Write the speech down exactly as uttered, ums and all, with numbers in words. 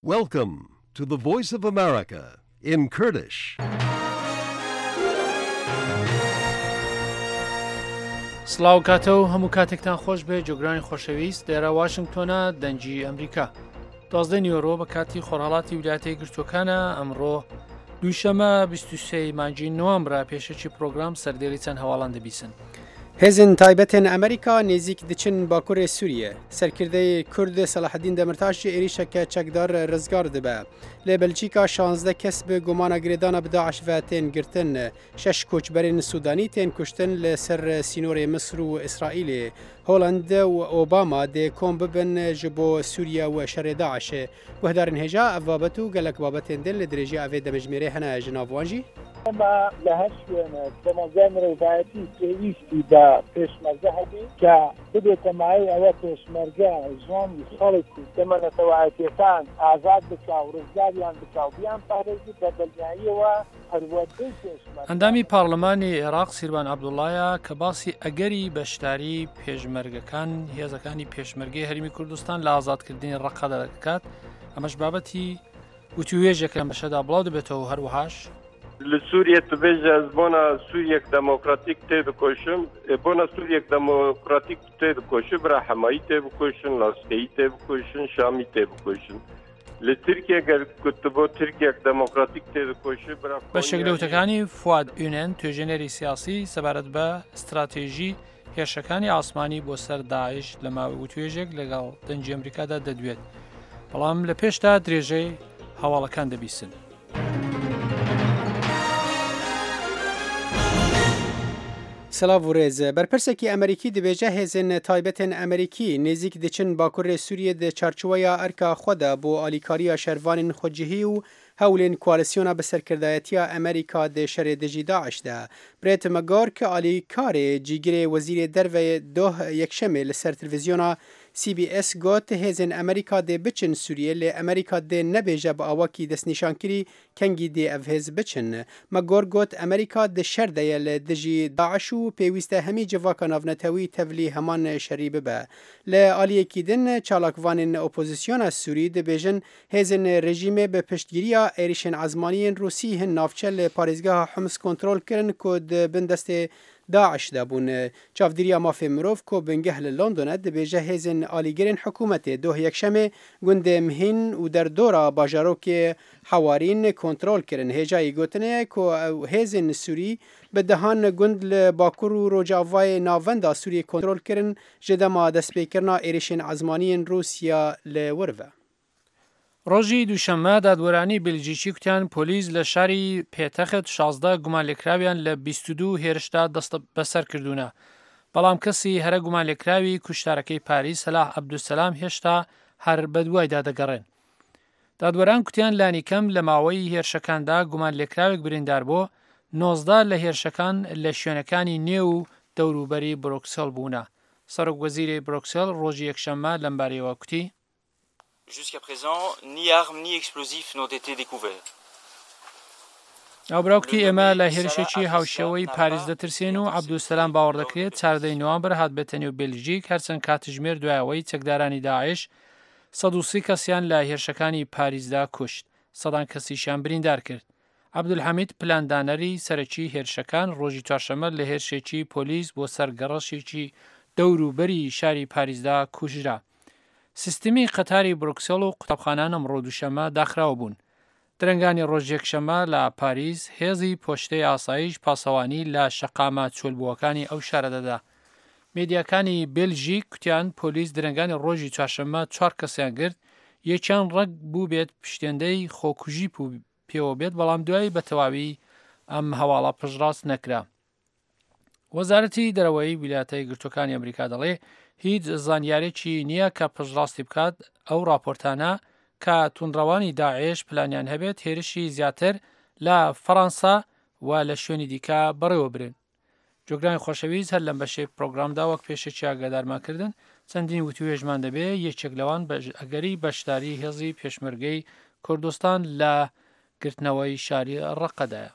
Welcome to the Voice of America in Kurdish. سڵاو کاتە و هەموو کاتێکتان خۆش بێ، جۆگرانی خۆشەویست. لێرە واشنگتۆنە، دەنگی ئەمریکا. دوازدە نیوەڕۆ بە کاتی خۆرهەڵاتی ویلایەتە یەکگرتووەکانە. ئەمڕۆ دووشەمە، بیست و سێ مانگی نوامبرە. پێشەکی پرۆگرام سەردێری چەند هەواڵان دەبیسن. Hêzên taybetên Amerîka nêzîk diçin Bakurê Sûriyê. Serkirdeyê Kurd Selaheddîn Demirtaş ji êrîşeke çekdar rizgar dibe. Li Belçîka şazdeh kes bi gumana girêdana bi DAIŞ ve tên girtin. Şeş koçberên Sûdanî tên kuştin li ser sînorê Misir û Îsraîlê. Holand û Obama dê kom bibin ji bo Sûriye û şerê DAIŞê. Guhdarên hêja, ev babet û gelek babetên din li dirêjiya evê demjimêrê hene, ji nav wan jî. ئێمە لە هەر شوێنێک بە مەزای مرۆڤایەتی پێویستی بە پێشمەرگە هەبی کە ببێتە مایەی ئەوە پێشمەرگە ژیانی خەڵک و کەمە نەتەوایەتیەکان ئازاد بکا و ڕزگاریان بکا و بیان پارێزی بە دڵنیاییەوە پەروەردەی پێشمەرگە. ئەندامی پارلمانی عێراق سیروان عەبدوڵڵایە کە باسی ئەگەری بەشداری پێشمەرگەکان، هێزەکانی پێشمەرگەی هەرێمی کوردستان لە ئازادکردنی ڕەقەدا دەکات. ئەمەش بابەتی وتووێژێک لەم بەشەدا بڵاو دەبێتەوە و هەروەهاش لە سووریە tu bêje ez bona Sûriyek demokratîk tê dikoşim, ê bona Sûriyek demokratîk tê dikoşim, bira Hemayî tê bikoşin, Laskeyî tê bikoşin, Şamî tê bikoşin. Li Tirkiye ger ku tu bo Tirkiyek demokratîk tê dikoşi, bira بەشێک لە وتەکانی فواد ئونێن، توێژێنەری سیاسی سەبارەت بە استراتێژی هێرشەکانی ئاسمانی بۆ سەر داعش لە ماوەی وتوێژێک لەگەڵ دەنگی ئەمریکادا دەدوێت. بەڵام لە پێشدا درێژەی هەواڵەکان دەبیسن. Selav û rêz. Berpirsekî Amerîkî dibêje hêzên taybetên Amerîkî nêzîk diçin Bakurê Sûriyê di çarçoweya erka xwe de bo alîkariya şervanên xwecihî û hewlên koalîsyona bi serkirdayetiya Amerîka di şerê dijî DAIŞ de. Brett McGurk, alîkarê cîgirê wezîrê derve doh yekşemê li ser televîzyona C B S got, hêzên Amerîka dê biçin Sûriyê, lê Amerîka dê nebêje bi awakî destnîşankirî kengî dê ev hêz biçin. McGurk got, Amerîka di şer de ye li dijî DAIŞ û pêwîst e hemî civaka navnetewî tevlî heman şerî bibe. Li aliyekî din, çalakvanên opozîsyona Sûrî dibêjin, hêzên rejîmê bi piştgiriya êrişên ezmaniyên Rûsî hin navçe li parêzgeha Hims kontrol kirin ku di bin destê DAIŞ de bûn. Çavdîriya Mafê Mirov ku bingeh li London e, dibêje hêzên alîgirên hikûmetê doh yekşemê gundê Mhîn û derdora bajarokê Hewarîn kontrol kirin. Hêjayî gotinê ye ku ew hêzên Sûrî bi dehan gund li bakur û rojavayê navenda Sûriyê kontrol kirin ji dema destpêkirina êrişên ezmaniyên Rûsya li wir ve. ڕۆژی دووشەممە دادوەرانی بلجیکی کوتیان پۆلیس لە شاری پێتەخت شازدە گومانلێکراویان لە بیست و دوو هێرشدا دەست بەسەر کردوونە. بەڵام کەسی هەرە گومانلێکراوی کوشتارەکەی پاریس سەلاح عەبدولسەلام هێشتا هەر بەدوایدا دەگەڕێن. دادوەران کوتیان لانی کەم لە ماوەی هێرشەکاندا گومانلێکراوێک بریندار بۆ، نۆزدە لە هێرشەکان لە شوێنەکانی نێو و دەوروبەری برۆکسێل بوونە. سەرۆک وەزیری برۆکسێل ڕۆژی یەکشەممە لەمبارەیەوە کوتی. Jusqu'à présent, ni armes ni explosifs n'ont été découverts. ئەو براوکتی ئێمە لە هێرشێکی هاوشێوەی پاریس دەترسێن و عەبدولسەلام باوەڕ دەکرێت چاردەی نوامبر هات بێتە نێو بێلژیک، هەرچەند کاتژمێر دوایەوەی چەکدارانی داعش سەد و سی کەسیان لە هێرشەکانی پاریسدا کوشت، سەدان کەسیشیان بریندار کرد. عەبدولحەمید پلاندانەری سەرەکی هێرشەکان ڕۆژی چوارشەممە لە هێرشێکی پۆلیس بۆ سەر گەڕەشێکی دەور و بەری شاری پاریسدا کوژرا. سیستمی قەتاری برۆکسێڵ و قوتابخانان ئەمڕۆ دووشەممە داخراو بوون. درەنگانی ڕۆژ یەکشەممە لە پاریس هێزی پۆشتەی ئاسایش پاسەوانی لە شەقامە چۆلبووەکانی ئەو شارە دەدا. میدیاکانی بێلژیک کوتیان پۆلیس درەنگانی ڕۆژی چوارشەممە چوار کەسیان گرت، یەکیان ڕەگ بوو بێت پشتێندەی خۆکوژی پێوە بێت، بەڵام دوایی بە تەواوی ئەم هەواڵە پشتڕاست نەکرا. وەزارەتی دەرەوەی ویلایەتە یەکگرتووەکانی ئەمریکا دەڵێ هیچ زانیارێکی نییە کە پشتڕاستی بکات ئەو راپۆرتانە کە توندڕەوانی داعش پلانیان هەبێت هێرشی زیاتر لە فەڕەنسا و لە شوێنی دیکە بەڕێوە برێن. جۆگرانی خۆشەویست، هەر لەم بەشەی پرۆگرامدا وەک پێشەکی ئاگادارمان کردن، چەندین وتوێژمان دەبێ، یەکێک لەوان بەش-، ئەگەری بەشداری هێزی پێشمەرگەی کوردستان لە گرتنەوەی شاری ڕەقەدایە.